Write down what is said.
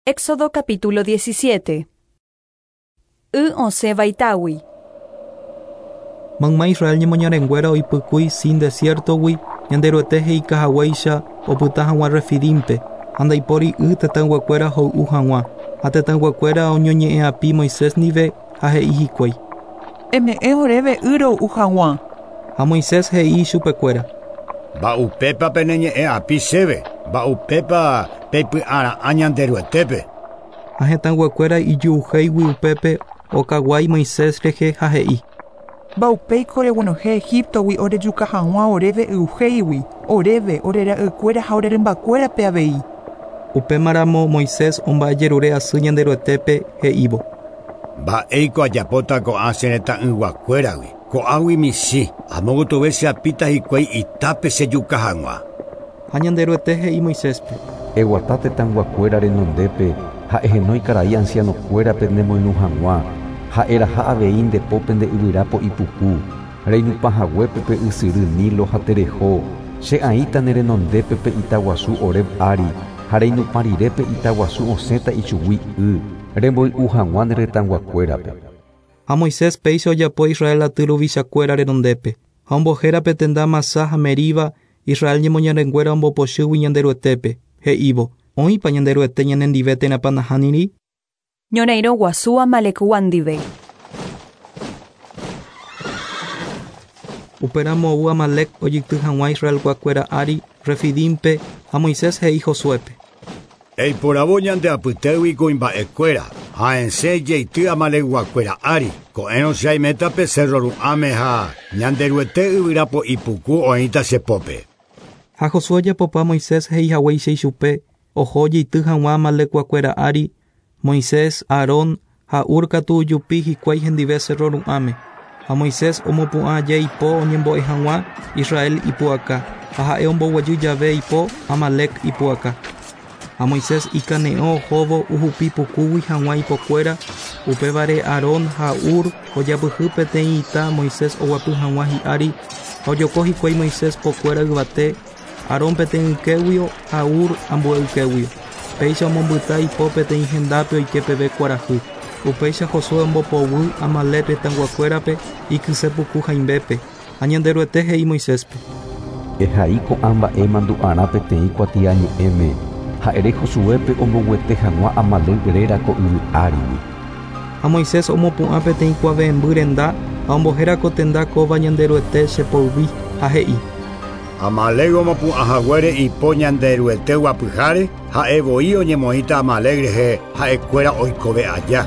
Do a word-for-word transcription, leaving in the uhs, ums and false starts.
Éxodo capítulo diecisiete. Y osẽva itágui. Mayma Israel ñemoñarenguéra oipykúi Sin desiertogui Ñanderuete he'ika haguéicha opyta hag̃ua Refidímpe ha ndaipóri y tetãyguakuéra hoy'u hag̃ua ha tetãyguakuéra oñoñe'ẽapi Moisés ndive ha he'i hikuái. Eme'ẽ oréve y roy'u hag̃ua. Ha Moisés he'i ichupekuéra. Mba'upépa peneñe'ẽapi chéve, mba'upépa peipy'ara'ã Ñanderuetépe. Ha hetãyguakuéra ijuhéigui upépe okaguái Moisés rehe ha he'i. Mba'upéiko reguenohẽ Egiptogui orejuka hag̃ua oréve y'uhéigui, oréve, ore ra'ykuéra ha ore rymbakuérape avei. Upémaramo Moisés omba'ejerure asy Ñanderuetépe he'ívo. Mba'éiko ajapóta ko'ã che retãyguakuéragui, ko'águi michĩ, amogotove cheapíta hikuái itápe chejuka hag̃ua. Ha Ñanderuete he'i Moiséspe. Eguata tetãyguakuéra renondépe ha ehenói karai ancianokuérape nemoirũ hag̃ua ha eraha avei ndepópe nde yvyrapo ipuku reinupãhaguépe pe ysyry Nilo ha tereho che aĩta ne renondépe pe itaguasu Horeb ári ha reinupã rire pe itaguasu osẽta ichugui y remboy'u hag̃ua ne retãyguakuérape. Ha Moisés péicha ojapo Israel aty ruvichakuéra renondépe ha ombohérape tenda Masá ha Meriba Israel ñemoñarenguéra ombopochýgui Ñanderuetépe he'ívo oĩpa Ñanderuete ñanendive térãpa nahániri. Ñorairõ guasu Amalekgua ndive. Upéramo ou Amalek ojeity hag̃ua Israelguakuéra ári Refidímpe ha Moisés he'i Josuépe. Eiporavo ñande apytégui kuimba'ekuéra ha esẽ jeity Amalekguakuéra ári ko'ẽrõ che aiméta pe cerro ru'ãme ha Ñanderuete yvyrapo ipuku oĩta chepópe. Ha Josué ojapopa Moisés he'ihaguéicha ichupe oho jeity hag̃ua Amalekguakuéra ári Moisés, Aarón ha Hur katu ojupi hikuái hendive cerro ru'ãme ha Moisés omopu'ã aja ipo oñembo'e hag̃ua Israel ipu'aka ha ha'e omboguejy jave ipo Amalek ipu'aka. Ha Moisés ikane'õ ohóvo ohupi pukúgui hag̃ua ipokuéra upévare Aarón ha Hur ojapyhy peteĩ ita Moisés oguapy hag̃ua hi'ári ha ojoko hikuái Moisés pokuéra yvate Aarón peteĩ ykéguio ha Hur ambue ykéguio. Péicha omombyta ipo peteĩ hendápe oike peve kuarahy. Upéicha Josué ombopoguy Amalek retãyguakuérape ikysepuku haimbépe ha Ñanderuete he'i Moiséspe. Ehai ko'ã mba'e mandu'arã peteĩ kuatiañe'ẽme ha ere Josuépe omboguete hag̃ua Amalek réra ko yvy árigui. Ha Moisés omopu'ã peteĩ kuave'ẽmby renda ha ombohéra ko tenda kóva Ñanderuete chepoyvi ha he'i. Amalek omopu'ãhaguére ipo Ñanderuete guapyháre ha'e voi oñemoĩta Amalek rehe ha'ekuéra oikove aja.